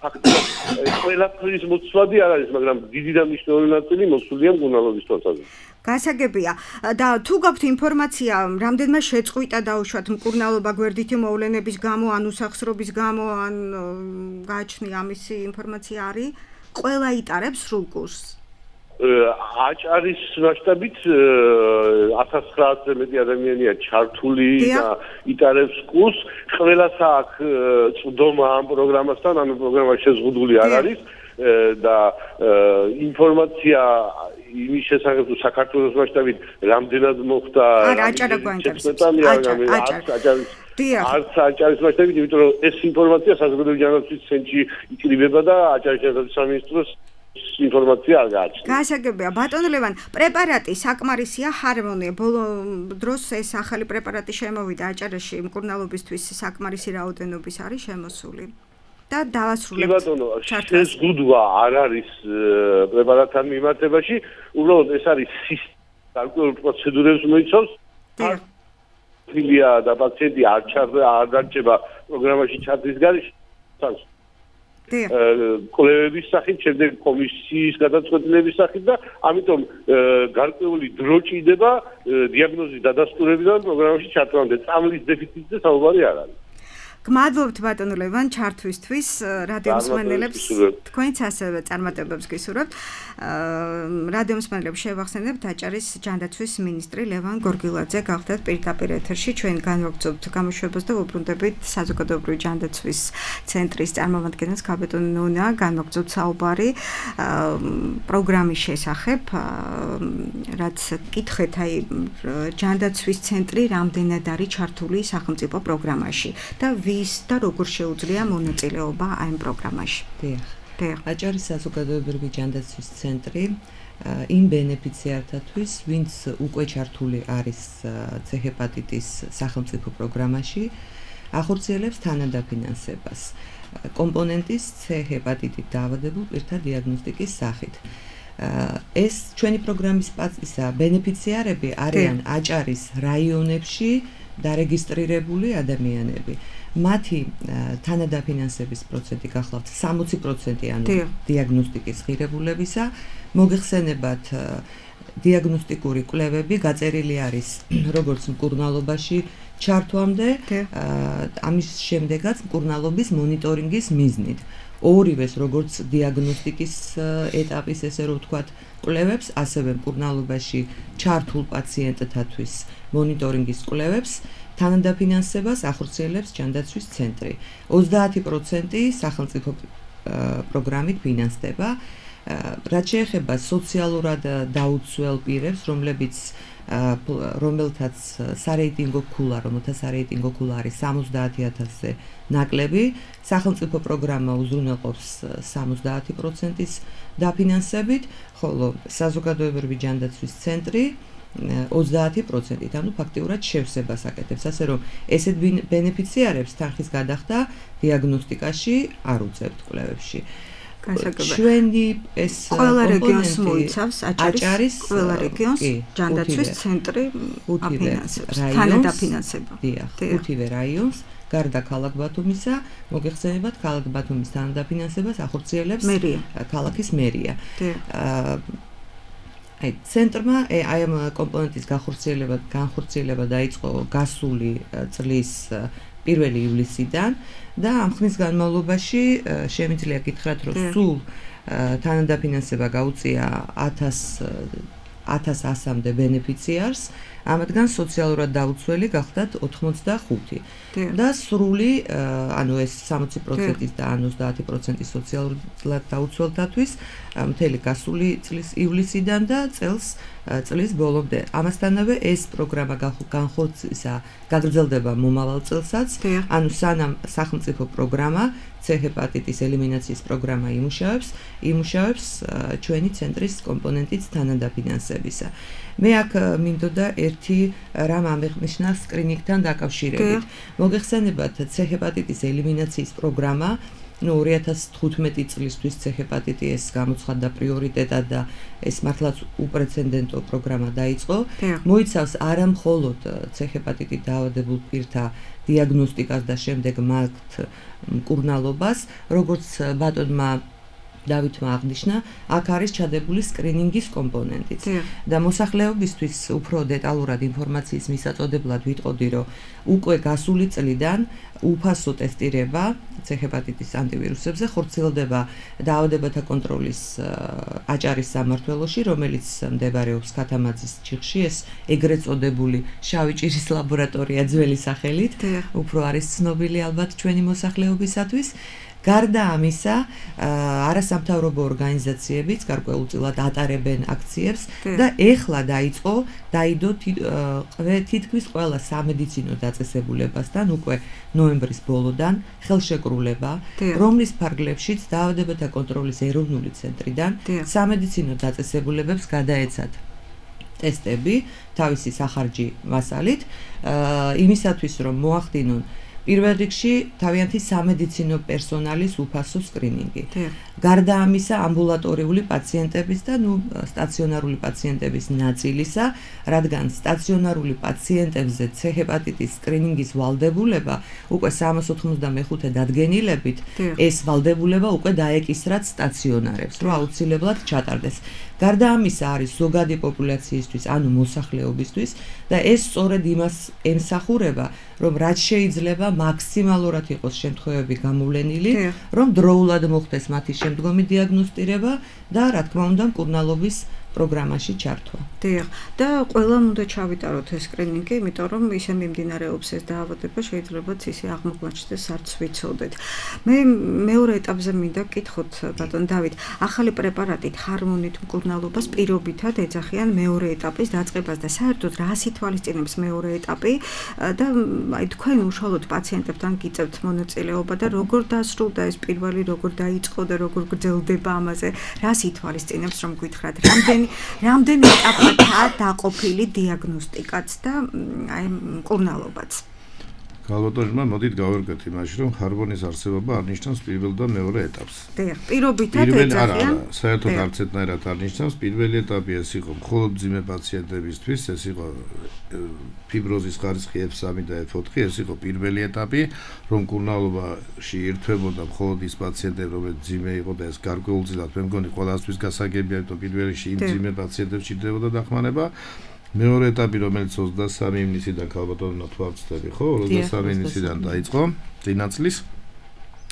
[SPEAKER 5] ფაქტობრივად ყველაფრის მოცვადი არ არის, მაგრამ დიდი და მნიშვნელოვანი ნაწილი მოსულია მკურნალობის თვალსაზრისით.
[SPEAKER 2] გასაგებია და თუ გაქვთ ინფორმაცია, რამდენმა შეწყვიტა დაუშვათ მკურნალობა გვერდითი მოვლენების გამო, ან უსახსრობის გამო, ან გააჩნია ამისი ინფორმაცია არის? ყველა იტარებს სრულ კურსს?
[SPEAKER 5] აჭარის მასშტაბით ათას ცხრაასზე მეტი ადამიანია ჩართული და იტარებს კურსს. ყველას აქვს წვდომა ამ პროგრამასთან, ანუ პროგრამა შეზღუდული არ არის და ინფორმაცია იმის შესახებ, თუ საქართველოს მასშტაბით რამდენად მოხდა
[SPEAKER 2] აჭარა გვაინტერესებს.
[SPEAKER 5] არც აჭარის მასშტაბით, იმიტომ რომ ეს ინფორმაცია საზოგადოებრივი ჯანდაცვის ცენტრში იკრიბება და აჭარის ჯანდაცვის სამინისტროს ინფორმაცია არ გააჩნია.
[SPEAKER 2] გასაგებია, ბატონო ლევან, პრეპარატი საკმარისია ჰარმონია. ბოლო დროს ეს ახალი პრეპარატი შემოვიდა აჭარაში, მკურნალობისთვის საკმარისი რაოდენობის არის შემოსული. და დავასრულებთ.
[SPEAKER 5] კი ბატონო, შეზღუდვა არ არის პრეპარატთან მიმართებაში, უბრალოდ ეს არის გარკვეულ პროცედურებს მოიცავს. ფილია და პაციენტი არ არ დარჩება პროგრამაში ჩათვლის გარეშე. კვლევების სახით, შემდეგ კომისიის გადაწყვეტილების სახით და ამიტომ გარკვეული დრო ჭირდება დიაგნოზის დადასტურებიდან პროგრამაში ჩათვლამდე. წამლის დეფიციტზე საუბარი არ არის.
[SPEAKER 2] გმადლობთ ბატონო ლევან ჩართვისთვის რადიო მსმენელებს თქვენც ასევე წარმატებებს გისურვებთ. რადიო მსმენელებს შევახსენებთ აჭარის ჯანდაცვის მინისტრი ლევან გორგილაძე გახდათ პირდაპირ ეთერში ჩვენ განვაგრძობთ გამოშვებას და ვუბრუნდებით საზოგადოებრივი ჯანდაცვის ცენტრის წარმომადგენელს ქაბეტონ ნონა განვაგრძობთ საუბარი პროგრამის შესახებ რაც კითხეთ აი ჯანდაცვის ცენტრი რამდენად არის ჩართული სახელმწიფო პროგრამაში და ვის და როგორ შეუძლია მონაწილეობა აი ამ პროგრამაში.
[SPEAKER 4] დიახ. აჭარის საზოგადოებრივი ჯანდაცვის ცენტრი იმ ბენეფიციართათვის, ვინც უკვე ჩართული არის ცეჰეპატიტის სახელმწიფო პროგრამაში, ახორციელებს თანადაფინანსებას კომპონენტის ცეჰეპატიტით დაავადებულ პირთა დიაგნოსტიკის სახით. ეს ჩვენი პროგრამის პასისა ბენეფიციარები არიან აჭარის რაიონებში დარეგისტრირებული ადამიანები. მათი თანადაფინანსების პროცენტი გახლავთ სამოცი პროცენტი ანუ დიაგნოსტიკის ღირებულებისა. მოგეხსენებათ დიაგნოსტიკური კვლევები გაწერილი არის როგორც მკურნალობაში ჩართვამდე, ამის შემდეგაც მკურნალობის მონიტორინგის მიზნით. ორივეს როგორც დიაგნოსტიკის ეტაპის ესე რომ ვთქვათ კვლევებს, ასევე მკურნალობაში ჩართულ პაციენტთათვის მონიტორინგის კვლევებს თანადაფინანსებას ახორციელებს ჯანდაცვის ცენტრი. ოცდაათი პროცენტი სახელმწიფო პროგრამით ფინანსდება. რაც შეეხება სოციალურად დაუცველ პირებს, რომლებიც რომელთაც სარეიტინგო ქულა, რომელთა სარეიტინგო ქულა არის სამოცდაათი ათასზე ნაკლები, სახელმწიფო პროგრამა უზრუნველყოფს სამოცდაათი პროცენტის დაფინანსებით, ხოლო საზოგადოებრივი ჯანდაცვის ცენტრი ოცდაათი პროცენტით, ანუ ფაქტიურად შევსებას აკეთებს, ასე რომ ესეთ ბენეფიციარებს თანხის გადახდა დიაგნოსტიკაში არ უწევთ კვლევებში. ჩვენი ეს
[SPEAKER 2] ყველა რეგიონს მოიცავს აჭარის ყველა რეგიონს ჯანდაცვის ცენტრი აფინანსებს თანადაფინანსება.
[SPEAKER 4] დიახ, ხუთივე რაიონს გარდა ქალაქ ბათუმისა, მოგეხსენებათ ქალაქ ბათუმის თანადაფინანსებას ახორციელებს ქალაქის მერია. აი ცენტრმა აი ამ კომპონენტის განხორციელება განხორციელება დაიწყო გასული წლის პირველი ივლისიდან და ამ ხნის განმავლობაში შემიძლია გითხრათ რომ სულ თანადაფინანსება გაუწია ათას ასამდე ბენეფიციარს, ამათგან სოციალურად დაუცველი გახდათ ოთხმოცდახუთი და სრული ანუ ეს სამოცი პროცენტის და ოცდაათი პროცენტის სოციალურად დაუცველთათვის მთელი გასული წლის ივლისიდან და წელს წლის ბოლომდე. ამასთანავე ეს პროგრამა განხორციელდება გაგრძელდება მომავალ წელსაც, ანუ სანამ სახელმწიფო პროგრამა ცეჰეპატიტის ელიმინაციის პროგრამა იმუშავებს, იმუშავებს ჩვენი ცენტრის კომპონენტის თანადაფინანსებისა. მე აქ მინდოდა ერთი რამ ამეღნიშნა სკრინინგთან დაკავშირებით. მოგეხსენებათ ცეჰეპატიტის ელიმინაციის პროგრამა ну ორი ათას თხუთმეტი წლისთვის ცეჰეპატიტი ეს გამოცხადდა პრიორიტეტად და ეს მართლაც უპრეცედენტო პროგრამა დაიწყო. მოიცავს არა მხოლოდ ცეჰეპატიტით დაავადებულ პირთა დიაგნოსტიკას და შემდეგ მათ მკურნალობას, როგორც ბატონმა დავითმა აღნიშნა, აქ არის ჩადებული სკრინინგის კომპონენტიც. და მოსახლეობისთვის უფრო დეტალურად ინფორმაციის მისაწოდებლად ვიტყოდი, რომ უკვე გასული წლიდან უფასო ტესტირება ცეჰეპატიტის ანტივირუსებზე ხორციელდება დაავადებათა კონტროლის აჭარის სამმართველოში, რომელიც მდებარეობს ქათამაძის ციხში, ეს ეგრეთ წოდებული შავი ჭირის ლაბორატორია ძველი სახელით, უფრო არის ცნობილი ალბათ ჩვენი მოსახლეობისათვის. გარდა ამისა, არასამთავრობო ორგანიზაციებიც გარკვეულწილად ატარებენ აქციებს და ეხლა დაიწყო დაიდო თითქმის ყველა სამედიცინო დაწესებულებასთან უკვე ნოემბრის ბოლოდან ხელშეკრულება, რომლის ფარგლებშიც დაავადებათა კონტროლის ეროვნული ცენტრიდან სამედიცინო დაწესებულებებს გადაეცათ ტესტები თავისი სახარჯი მასალით, იმისათვის რომ მოახდინონ პირველ რიგში თავიანთი სამედიცინო პერსონალის უფასო სკრინინგი. გარდა ამისა, ამბულატორიული პაციენტების და ნუ სტაციონარული პაციენტების ნაწილისა, რადგან სტაციონარული პაციენტებზე ცეჰეპატიტის სკრინინგის ვალდებულება უკვე სამას ოთხმოცდამეხუთე დადგენილებით, ეს ვალდებულება უკვე დაეკისრათ სტაციონარებს, რომ აუცილებლად ჩატარდეს. გარდა ამისა არის ზოგადი პოპულაციისთვის, ანუ მოსახლეობისთვის და ეს სწორედ იმას ემსახურება, რომ რაც შეიძლება მაქსიმალურად იყოს შემთხვევები გამოვლენილი, რომ დროულად მოხდეს მათი შემდგომი დიაგნოსტირება და რა თქმა უნდა მკურნალობის პროგრამაში ჩართვა.
[SPEAKER 2] დიახ, და ყველამ უნდა ჩავიტაროთ ეს სკრინინგი, იმიტომ რომ ისე მიმდინარეობს ეს დაავადება, შეიძლებაც ისე აღმოჩნდეს, არც ვიცოდეთ. მე მეორე ეტაპზე მინდა გკითხოთ, ბატონ დავით, ახალი პრეპარატით ჰარმონით მკურნალობას პირობითად ეძახიან მეორე ეტაპის დაწყებას და საერთოდ რას ითვალისწინებს მეორე ეტაპი და აი თქვენ უშუალოდ პაციენტებთან გიწევთ მონაწილეობა და როგორ დასრულდა ეს პირველი, როგორ დაიწყო და როგორ გრძელდება ამაზე, რას ითვალისწინებს, რომ გითხრათ, რამდენი რამდენი ეტაპია დაყოფილი დიაგნოსტიკაც და აი მკურნალობაც.
[SPEAKER 3] გალბატონმა მოდით გავერგოთ იმაში, რომ ჰარმონის არსებობა არნიშნავს პირველ და მეორე ეტაპს.
[SPEAKER 2] დიახ, პირობითად ეძახიან.
[SPEAKER 3] საერთოდ არც ერთნაირად არნიშნავს. პირველი ეტაპი ეს იყო მხოლოდ მძიმე პაციენტებისთვის, ეს იყო ფიბროზის ხარისხი ეფ სამი და ეფ ოთხი, ეს იყო პირველი ეტაპი, რომ მკურნალობაში ირთვებოდა მხოლოდ ის პაციენტები, რომლებიც მძიმე იყო და ეს გარკვეულწილად მე მგონი ყველასთვის გასაგებია, რომ პირველ რიგში იმ მძიმე პაციენტებს ჭირდებოდა დახმარება. მეორე ეტაპი, რომელიც ოცდასამი ივნისიდან ქალბატონო თვალწდები, ხო? ოცდასამი ივნისიდან დაიწყო წინა წლის.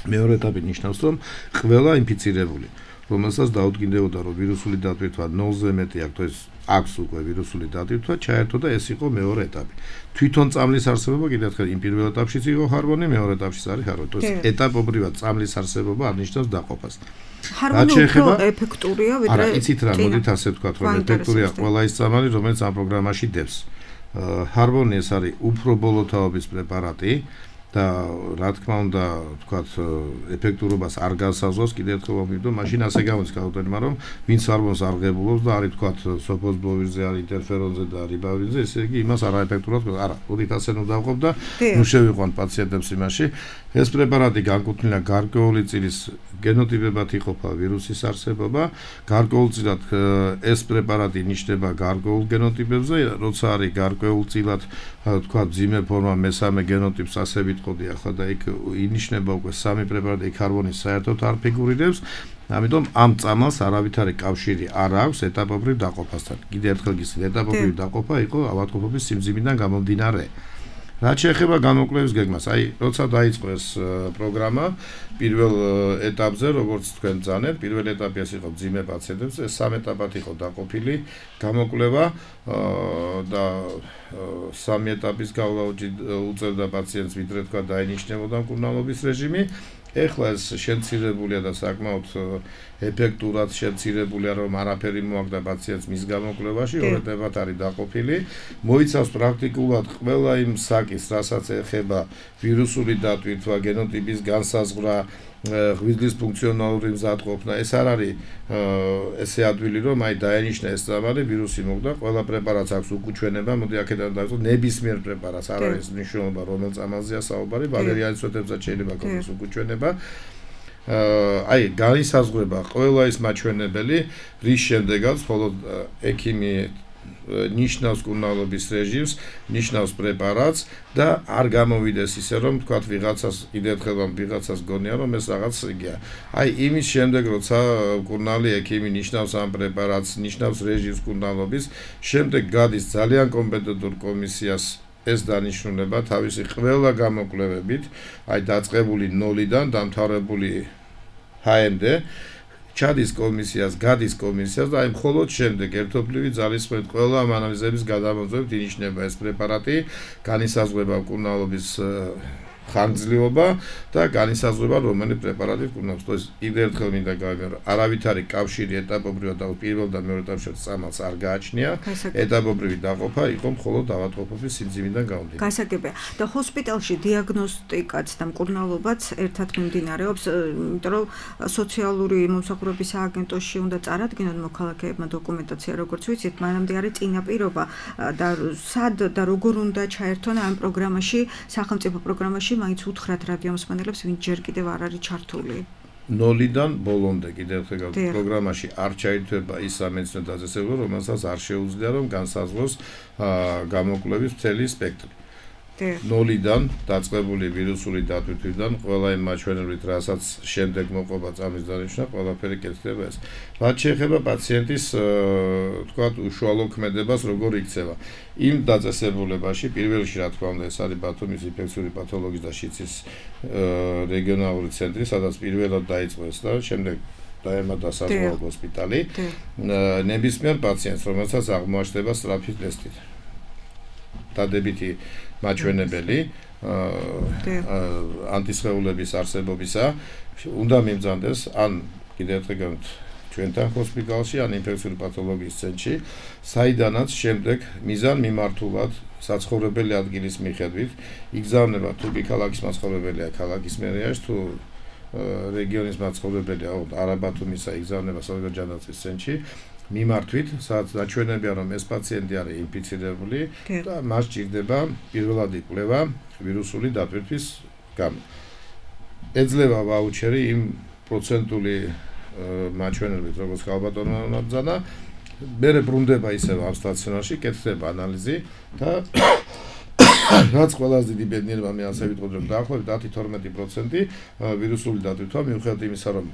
[SPEAKER 3] მეორე ეტაპი ნიშნავს, რომ ყველა ინფიცირებული, რომელსაც დაუდგინდებოდა, რომ ვირუსული დატვირთვა ნულზე მეტი აქვს, ეს აქვს უკვე ვირუსული დატვირთვა, ჩაერთო და ეს იყო მეორე ეტაპი. თვითონ წამლის არსებობა კიდევ ერთხელ იმ პირველ ეტაპშიც იყო ჰარმონი, მეორე ეტაპშიც არის ჰარმონი. ეს ეტაპობრივად წამლის არსებობა არნიშნავს დაყოფას.
[SPEAKER 2] ჰარმონი უფრო ეფექტურია, ვიდრე
[SPEAKER 3] არა, იცით რა, მოდით ასე ვთქვათ, რომ ეფექტურია ყველა ის წამალი, რომელიც ამ პროგრამაში დევს. ჰარმონი ეს არის უფრო ბოლო თაობის პრეპარატი და რა თქმა უნდა, ვთქვათ, ეფექტურობას არ განსაზღვრავს, კიდევ ერთხელ ვამბობ, მაშინ ასე გამოდის ქალბატონმა, რომ ვინც ჰარმონს არ ღებულობს და არის ვთქვათ, სოფოსბოვირზე, არის ინტერფერონზე და არის ბავირზე, ესე იგი იმას არაეფექტურად, არა, მოდით ასე ნუ დავყოფ და ნუ შევიყვან პაციენტებს იმაში. ეს პრეპარატი განკუთვნილია გარკვეული წილის გენოტიპებად იყოფა ვირუსის არსებობა, გარკვეულწილად ეს პრეპარატი ნიშნება გარკვეულ გენოტიპებზე, როცა არის გარკვეულწილად თქვა მძიმე ფორმა მესამე გენოტიპს ასე ვიტყოდი ახლა და იქ ინიშნება უკვე სამი პრეპარატი, იქ ჰარმონი საერთოდ არ ფიგურირებს. ამიტომ ამ წამალს არავითარი კავშირი არ აქვს ეტაპობრივ დაყოფასთან. კიდევ ერთხელ გისმენთ, ეტაპობრივი დაყოფა იყო ავადმყოფობის სიმძიმიდან გამომდინარე. რაც შეეხება გამოკვლევის გეგმას, აი, როცა დაიწყო ეს პროგრამა, პირველ ეტაპზე, როგორც თქვენ ძანეთ, პირველ ეტაპი ეს იყო მძიმე პაციენტებს, ეს სამ ეტაპად იყო დაყოფილი გამოკვლევა და სამი ეტაპის გავლა უწევდა პაციენტს, ვიდრე თქვა დაინიშნებოდა მკურნალობის რეჟიმი. ეხლა ეს შემცირებულია და საკმაოდ ეფექტურად შემცირებულია, რომ არაფერი მოაქვს პაციენტს მის გამოკვლევაში, ორ ეტაპად არის დაყოფილი. მოიცავს პრაქტიკულად ყველა იმ საკის, რასაც ეხება ვირუსული დატვირთვა, გენოტიპის განსაზღვრა, ღვიძლის ფუნქციონალური მზადყოფნა. ეს არ არის ესე ადვილი, რომ აი დაენიშნა ეს წამალი, ვირუსი მოგდა, ყველა პრეპარატს აქვს უკუჩვენება, მოდი აქედან დავიწყოთ, ნებისმიერ პრეპარატს არ არის მნიშვნელობა, რომელ წამალზეა საუბარი, ვალერიანის სვეტებსაც შეიძლება ქონდეს უკუჩვენება. აი, განისაზღვრება ყველა ის მაჩვენებელი, რის შემდეგაც მხოლოდ ექიმი ნიშნავს მკურნალობის რეჟიმს, ნიშნავს პრეპარატს და არ გამოვიდეს ისე, რომ თქვათ ვიღაცას, კიდევ ერთხელ ვიღაცას გონია, რომ ეს რაღაც იგია. აი, იმის შემდეგ, როცა მკურნალი ექიმი ნიშნავს ამ პრეპარატს, ნიშნავს რეჟიმს მკურნალობის, შემდეგ გადის ძალიან კომპეტენტურ კომისიას ეს დანიშნულება თავისი ყველა გამოკვლევებით, აი დაწყებული ნოლიდან დამთავრებული ჰ-მდე ჩადის კომისიას, გადის კომისიას და აი მხოლოდ შემდეგ ერთობლივი ძალისხმევით ყველა ამ ანალიზების გადამოწმებით ინიშნება ეს პრეპარატი, განისაზღვრება მკურნალობის ხანგრძლივობა და განისაზღვრება რომელი პრეპარატი მკურნალობს. თორე კიდევ ერთხელ მინდა გავიმეორო, არავითარი კავშირი ეტაპობრივად და პირველ და მეორე ეტაპში წამალს არ გააჩნია. ეტაპობრივი დაყოფა იყო მხოლოდ ავადმყოფობის სიმძიმიდან გამომდინარე.
[SPEAKER 2] გასაგებია. და ჰოსპიტალში დიაგნოსტიკაც და მკურნალობაც ერთად მიმდინარეობს, იმიტომ რომ სოციალური მომსახურების სააგენტოში უნდა წარადგინონ მოქალაქეებმა დოკუმენტაცია, როგორც ვიცით, მანამდე არის წინაპირობა და სად და როგორ უნდა ჩაერთონ ამ პროგრამაში, სახელმწიფო პროგრამაში მაინც უთხრათ რადიომსმენელებს, ვინც ჯერ კიდევ არ არის ჩართული.
[SPEAKER 3] ნოლიდან ბოლომდე კიდევ ერთხელ პროგრამაში არ ჩაირთვება ის სამედიცინო დაწესებულება, რომელსაც არ შეუძლია რომ განსაზღვროს გამოკვლევის მთელი სპექტრი. ნოლიდან დაწყებული ვირუსული დატვირთვიდან ყველა იმ მაჩვენებლით, რასაც შემდეგ მოყვება წამის დანიშვნა, ყველაფერი კეთდება ეს. რაც შეეხება პაციენტის, თქვათ, უშუალო ქმედებას, როგორ იქცევა. იმ დაწესებულებაში, პირველ რიგში, რა თქმა უნდა, ეს არის ბათუმის ინფექციური პათოლოგიის და შიცის რეგიონალური ცენტრი, სადაც პირველად დაიწყო ეს და შემდეგ დაემატა საზღვაო ჰოსპიტალი. ნებისმიერ პაციენტს, რომელსაც აღმოაჩნდება სწრაფი ტესტი. დადებითი მაჩვენებელი ანტისხეულების არსებობისა უნდა მიმძანდეს ან კიდევ ერთხელ გქონთ ჩვენთან ჰოსპიტალში ან ინფექციური პათოლოგიის ცენტრში, საიდანაც შემდეგ მიზან მიმართულად საცხოვრებელი ადგილის მიხედვით იგზავნება თუ კი ქალაქის მაცხოვრებელია ქალაქის მერიაში, თუ რეგიონის მაცხოვრებელია არაბათუმისა იგზავნება საზღვაო ჯანდაცვის ცენტრში მიმართვით, სადაც დაჩვენებია, რომ ეს პაციენტი არის ინფიცირებული და მას ჭირდება პირველადი კვლევა ვირუსული დატვირთვის გამო. ეძლევა ვაუჩერი იმ პროცენტული მაჩვენებლით, როგორც ხალბატონმა ნაბძანა, მერე ბრუნდება ისევ ამ სტაციონარში, კეთდება ანალიზი და რაც ყველაზე დიდი ბედნიერება მე ასე ვიტყოდ, რომ დაახლოებით ათი თორმეტი პროცენტი ვირუსული დატვირთვა მიუხედავად იმისა, რომ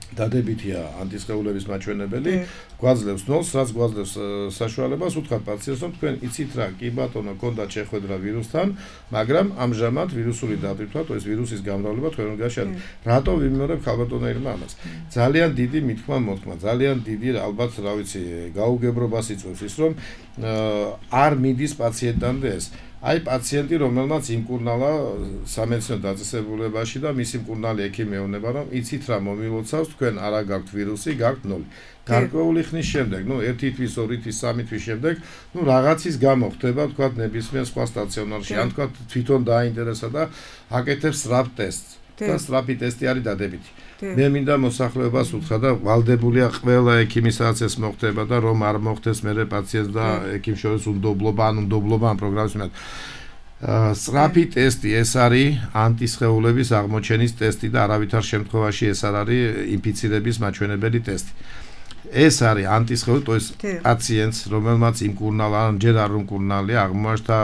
[SPEAKER 3] დადებითია ანტისხეულების მაჩვენებელი, გვაძლევს ნოლს, რაც გვაძლევს საშუალებას უთხრათ პაციენტს, რომ თქვენ იცით რა, კი ბატონო, გქონდათ შეხვედრა ვირუსთან, მაგრამ ამჟამად ვირუსული დატვირთვა, თუ ეს ვირუსის გამრავლება თქვენ უნდა შეადგინოთ. რატო ვიმეორებ ხალბატონეირმა ამას? ძალიან დიდი მithქმა მოთქმა, ძალიან დიდი ალბათ, რა ვიცი, გაუგებრობას იწვევს ის, რომ არ მიდის პაციენტამდე ეს. აი პაციენტი, რომელმაც იმკურნალა სამედიცინო დაწესებულებაში და მისი მკურნალი ექიმი ეუბნება, რომ იცით რა მომილოცავს, თქვენ არა გაქვთ ვირუსი, გაქვთ ნოლი. გარკვეული ხნის შემდეგ, ნუ ერთი თვის, ორი თვის, სამი თვის შემდეგ, ნუ რაღაცის გამო ხდება, თქვათ, ნებისმიერ სხვა სტაციონარში, ან თქვათ, თვითონ დააინტერესა და აკეთებს სწრაფ ტესტს. და სწრაფი ტესტი არის დადებითი. მე მინდა მოსახლეობას უთხრა და ვალდებულია ყველა ექიმი, სადაც ეს მოხდება და რომ არ მოხდეს მერე პაციენტს და ექიმს შორის უნდობლობა, ან უნდობლობა ამ პროგრამის მიმართ. სწრაფი ტესტი ეს არის ანტისხეულების აღმოჩენის ტესტი და არავითარ შემთხვევაში ეს არ არის ინფიცირების მაჩვენებელი ტესტი. ეს არის ანტისხეული, то есть პაციენტს, რომელმაც იმკურნალა, ან ჯერ არ უმკურნალია, აღმოაჩნდა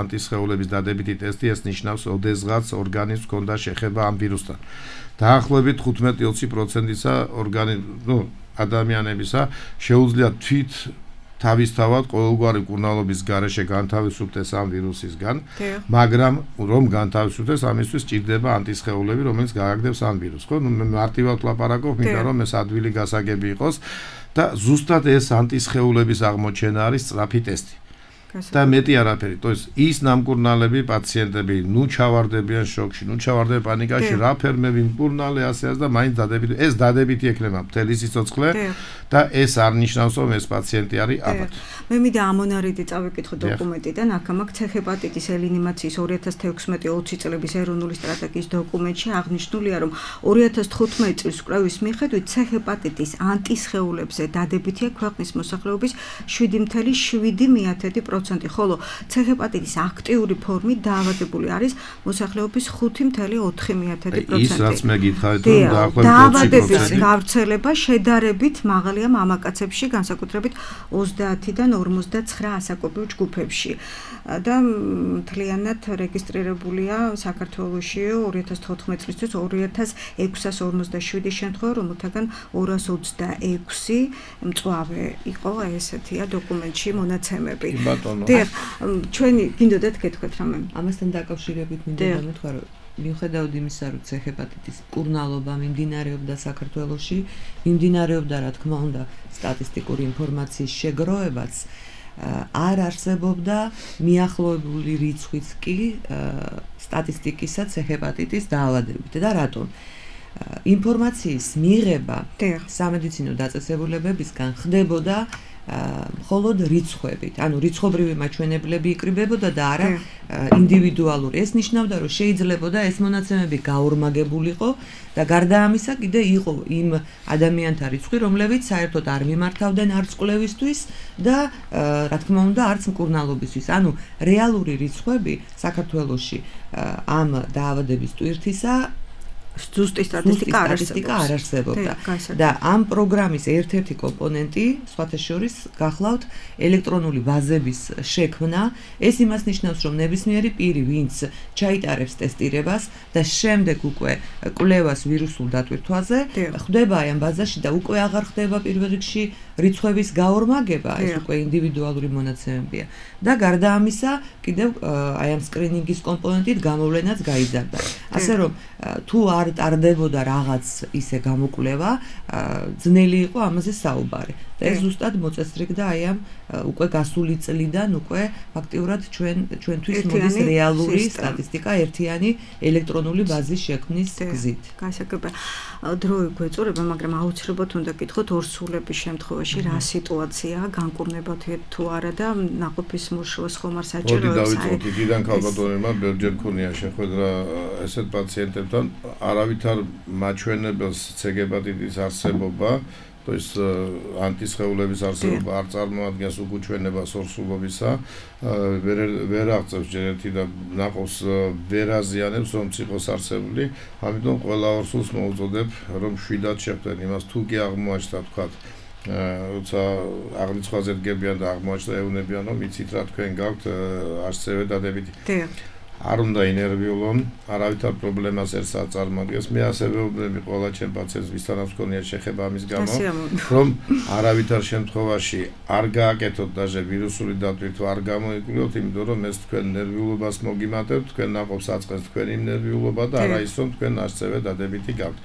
[SPEAKER 3] ანტისხეულების დადებითი ტესტი, ეს ნიშნავს, ოდესღაც ორგანიზმს ჰქონდა შეხება ამ ვირუსთან. დაახლოებით თხუთმეტი ოცი პროცენტისა ორგანიზმ, ну, ადამიანებისა შეუძლია თვით თავისთავად ყოველგვარი მკურნალობის გარეშე განთავისუფლდეს ამ ვირუსისგან, მაგრამ რომ განთავისუფლდეს, ამისთვის ჭირდება ანტისხეულები, რომელიც გააგდებს ამ ვირუსს, ხო? ნუ მე მარტივად ვლაპარაკობ, მინდა რომ ეს ადვილი გასაგები იყოს და ზუსტად ეს ანტისხეულების აღმოჩენა არის სწრაფი ტესტი. და მეტი არაფერი, то есть ის ნამკურნალები პაციენტები ნუ ჩავარდებიან შოკში, ნუ ჩავარდებიან პანიკაში, რა ფერმები მკურნალე ასე ასე და მაინც დადებითი, ეს დადებითი ექნება მთელი სიცოცხლე და ეს არ ნიშნავს, რომ ეს პაციენტი არის აბათ.
[SPEAKER 2] მე მინდა ამონარიდი წავიკითხო დოკუმენტიდან, აქ ცეх ჰეპატიტის ელინიმაციის ორი ათას თექვსმეტი ოცი წლების ეროვნული სტრატეგიის დოკუმენტში აღნიშნულია, რომ ორი ათას თხუთმეტი წლის კვლევის მიხედვით ცეх ჰეპატიტის ანტისხეულებზე დადებითია ქვეყნის მოსახლეობის შვიდი წუთი შვიდი პროცენტი, ხოლო ცეх ჰეპატიტის აქტიური ფორმით დაავადებული არის მოსახლეობის ხუთი წუთი ოთხი პროცენტი.
[SPEAKER 3] ის რაც მე გითხარით, რომ დაახლოებით
[SPEAKER 2] დაავადების გავრცელება შედარებით მაღალია მამაკაცებში, განსაკუთრებით ოცდაათიდან ორმოცდაცხრა ასაკობრივ ჯგუფებში. და მთლიანად რეგისტრირებულია საქართველოში ორი ათას თოთხმეტი წლისთვის ორი ათას ექვსას ორმოცდაშვიდი შემთხვევა, რომელთაგან ორას ოცდაექვსი მწვავე იყო, ესეთია დოკუმენტში მონაცემები. დიახ, ჩვენი გინდოდათ გეთქვათ რამე?
[SPEAKER 4] ამასთან დაკავშირებით მინდა დამეთქვა, რომ მიუხედავად იმისა, რომ ცეх ჰეპატიტის მკურნალობა მიმდინარეობდა საქართველოში, მიმდინარეობდა, რა თქმა უნდა, სტატისტიკური ინფორმაციის შეგროვებაც, არ არსებობდა მიახლოებული რიცხვიც კი სტატისტიკისა ცეх ჰეპატიტის დაავადებით. და რატომ? ინფორმაციის მიღება სამედიცინო დაწესებულებებისგან ხდებოდა მხოლოდ რიცხვებით, ანუ რიცხობრივი მაჩვენებლები იკრიბებოდა და არა ინდივიდუალური. ეს ნიშნავდა, რომ შეიძლებოდა ეს მონაცემები გაორმაგებულიყო და გარდა ამისა კიდე იყო იმ ადამიანთა რიცხვი, რომლებიც საერთოდ არ მიმართავდნენ არც კვლევისთვის და რა თქმა უნდა არც მკურნალობისთვის. ანუ რეალური რიცხვები საქართველოში ამ დაავადების ტვირთისა
[SPEAKER 2] ზუსტი სტატისტიკა არ
[SPEAKER 4] არსებობდა და ამ პროგრამის ერთ-ერთი კომპონენტი სხვათა შორის გახლავთ ელექტრონული ბაზების შექმნა. ეს იმას ნიშნავს, რომ ნებისმიერი პირი, ვინც ჩაიტარებს ტესტირებას და შემდეგ უკვე კვლევას ვირუსულ დატვირთვაზე, ხვდება აი ამ ბაზაში და უკვე აღარ ხდება პირველ რიგში რიცხვების გაორმაგება, ეს უკვე ინდივიდუალური მონაცემებია. და გარდა ამისა, კიდევ აი ამ სკრინინგის კომპონენტით გამოვლენაც გაიზარდა. ასე რომ თუ არ ტარდებოდა რაღაც ისე გამოკვლევა, ძნელი იყო ამაზე საუბარი. და ეს ზუსტად მოწესრიგდა აი ამ უკვე გასული წლიდან უკვე ფაქტიურად ჩვენ ჩვენთვის მოდის რეალური სტატისტიკა ერთიანი ელექტრონული ბაზის შექმნის გზით.
[SPEAKER 2] გასაგებია. დრო გვეწურება, მაგრამ აუცილებლად უნდა გითხოთ ორსულების შემთხვევაში რა სიტუაციაა, განკურნებათ თუ არა და ნაყოფის მუშაობას ხომ არ საჭიროებს.
[SPEAKER 3] მოდი დავიწყოთ იქიდან ქალბატონებმა ბერჯერ ქონია შეხვედრა ესეთ პაციენტებთან, არავითარ მაჩვენებელს ცეგეპატიტის არსებობა то есть ანტისხეულების არსებობა არ წარმოადგენს უკუჩვენებას ორსულობისა, ვერ ვერ აღწევს ჯერ ერთი და ნაყოფს ვერ აზიანებს რომ ციყოს არსებული, ამიტომ ყველა ორსულს მოუწოდებ რომ შვიდად შეხვდნენ იმას, თუ კი აღმოაჩნდა თქვათ როცა აღრიცხვაზე დგებიან და აღმოაჩნდა ეუბნებიან რომ იცით რა თქვენ გაქვთ არსებე დადებითი. არ უნდა ინერვიულონ, არავითარ პრობლემას ერთს არ წარმოადგენს. მე ასევე ვუბნები ყველა ჩემ პაციენტს, ვისთანაც მქონია შეხება ამის გამო, რომ არავითარ შემთხვევაში არ გააკეთოთ დაჟე ვირუსული დატვირთვა, არ გამოიკვლიოთ, იმიტომ რომ ეს თქვენ ნერვიულობას მოგიმატებთ, თქვენ ნაყოფს აწყენს თქვენი ნერვიულობა და არა ის რომ თქვენ არსებე დადებითი გაქვთ.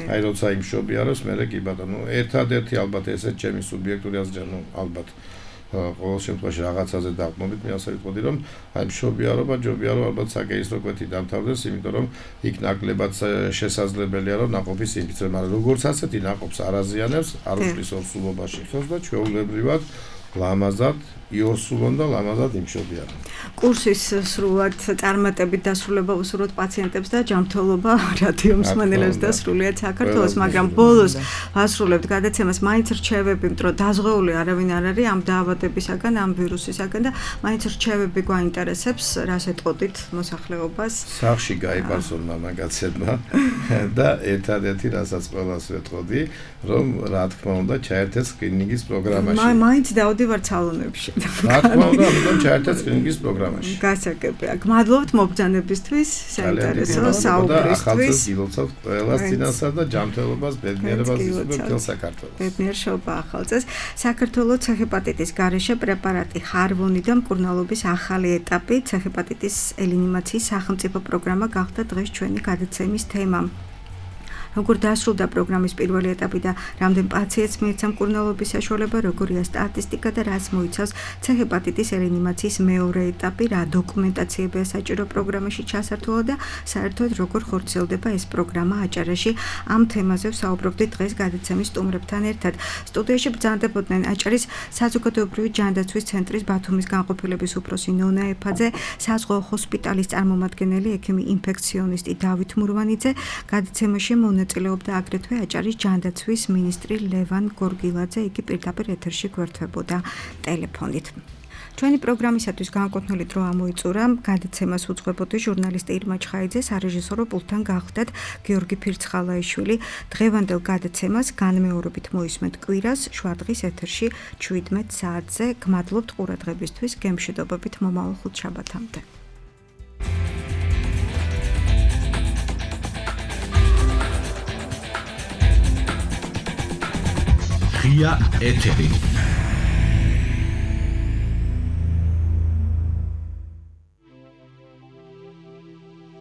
[SPEAKER 3] აი როცა იმ შობიაროს, მე კი ბატონო, ერთადერთი ალბათ ესეც ჩემი სუბიექტური აზრია, ნუ ალბათ ყოველ შემთხვევაში რაღაცაზე დაყრდნობით, მე ასე ვიტყოდი, რომ აი მშობიარობა, ჯობია რომ ალბათ საკეისრო კვეთი დამთავრდეს, იმიტომ რომ იქ ნაკლებად შესაძლებელია რომ ნაყოფის ინფიცირება, მაგრამ როგორც ასეთი ნაყოფს არ აზიანებს, არ უშლის ორსულობაში ხელს და ჩვეულებრივად ლამაზად იორსულონ და ლამაზად იმშობიან.
[SPEAKER 2] კურსის სრულად წარმატებით დასრულება უსურვოთ პაციენტებს და ჯანმრთელობა რადიო მსმენელებს და სრულიად საქართველოს, მაგრამ ბოლოს ვასრულებთ გადაცემას, მაინც რჩევები, რომ დაზღვეული არავინ არ არის ამ დაავადებისაგან, ამ ვირუსისაგან და მაინც რჩევები გვაინტერესებს, რას ეტყოდით მოსახლეობას.
[SPEAKER 3] სახში გაიპარსონ მამაკაცებმა და ერთადერთი რასაც ყველას ვეტყოდი, რომ რა თქმა უნდა ჩაერთეთ სკრინინგის პროგრამაში.
[SPEAKER 2] მაინც დავდი ვარ სალონებში.
[SPEAKER 3] რა თქმა უნდა, ამიტომ ჩაერთეთ სკრინინგის პროგრამაში.
[SPEAKER 2] გასაგებია. გმადლობთ მობრძანებისთვის, საინტერესო საუბრისთვის.
[SPEAKER 3] ახალწელს გილოცავთ ყველას წინასა და ჯანმრთელობას, ბედნიერებას ვისურვებთ მთელ საქართველოს.
[SPEAKER 2] ბედნიერება ახალწელს. საქართველოს ცეჰეპატიტის გარეშე პრეპარატი ჰარვონი და მკურნალობის ახალი ეტაპი, ცეჰეპატიტის ელინიმაციის სახელმწიფო პროგრამა გახდა დღეს ჩვენი გადაცემის თემა. როგორ დასრულდა პროგრამის პირველი ეტაპი და რამდენ პაციენტს მიეცა მკურნალობის საშუალება, როგორია სტატისტიკა და რაც მოიცავს ცეჰეპატიტის ელინიმაციის მეორე ეტაპი, რა დოკუმენტაციებია საჭირო პროგრამაში ჩასართულად და საერთოდ როგორ ხორციელდება ეს პროგრამა აჭარაში. ამ თემაზე ვსაუბრობდით დღეს გადაცემის სტუმრებთან ერთად. სტუდიაში ბრძანდებოდნენ აჭარის საზოგადოებრივი ჯანდაცვის ცენტრის ბათუმის განყოფილების უფროსი ნონა ეფაძე, საზღვაო ჰოსპიტალის წარმომადგენელი ექიმი ინფექციონისტი დავით მურვანიძე, გადაცემაში მონაწილეობდა აგრეთვე აჭარის ჯანდაცვის მინისტრი ლევან გორგილაძე, იგი პირდაპირ ეთერში გვერდებოდა ტელეფონით. ჩვენი პროგრამისათვის განკუთვნილი დრო ამოიწურა, გადაცემას უძღვებოდი ჟურნალისტი ირმა ჩხაიძე, სარეჟისორო პულტთან გახლდათ გიორგი ფირცხალაიშვილი. დღევანდელ გადაცემას განმეორებით მოისმენთ კვირას შვადღის ეთერში შვიდმეტ საათზე. გმადლობთ ყურადღებისთვის, გემშვიდობებით მომავალ ხუთშაბათამდე.
[SPEAKER 1] ღია ეთერი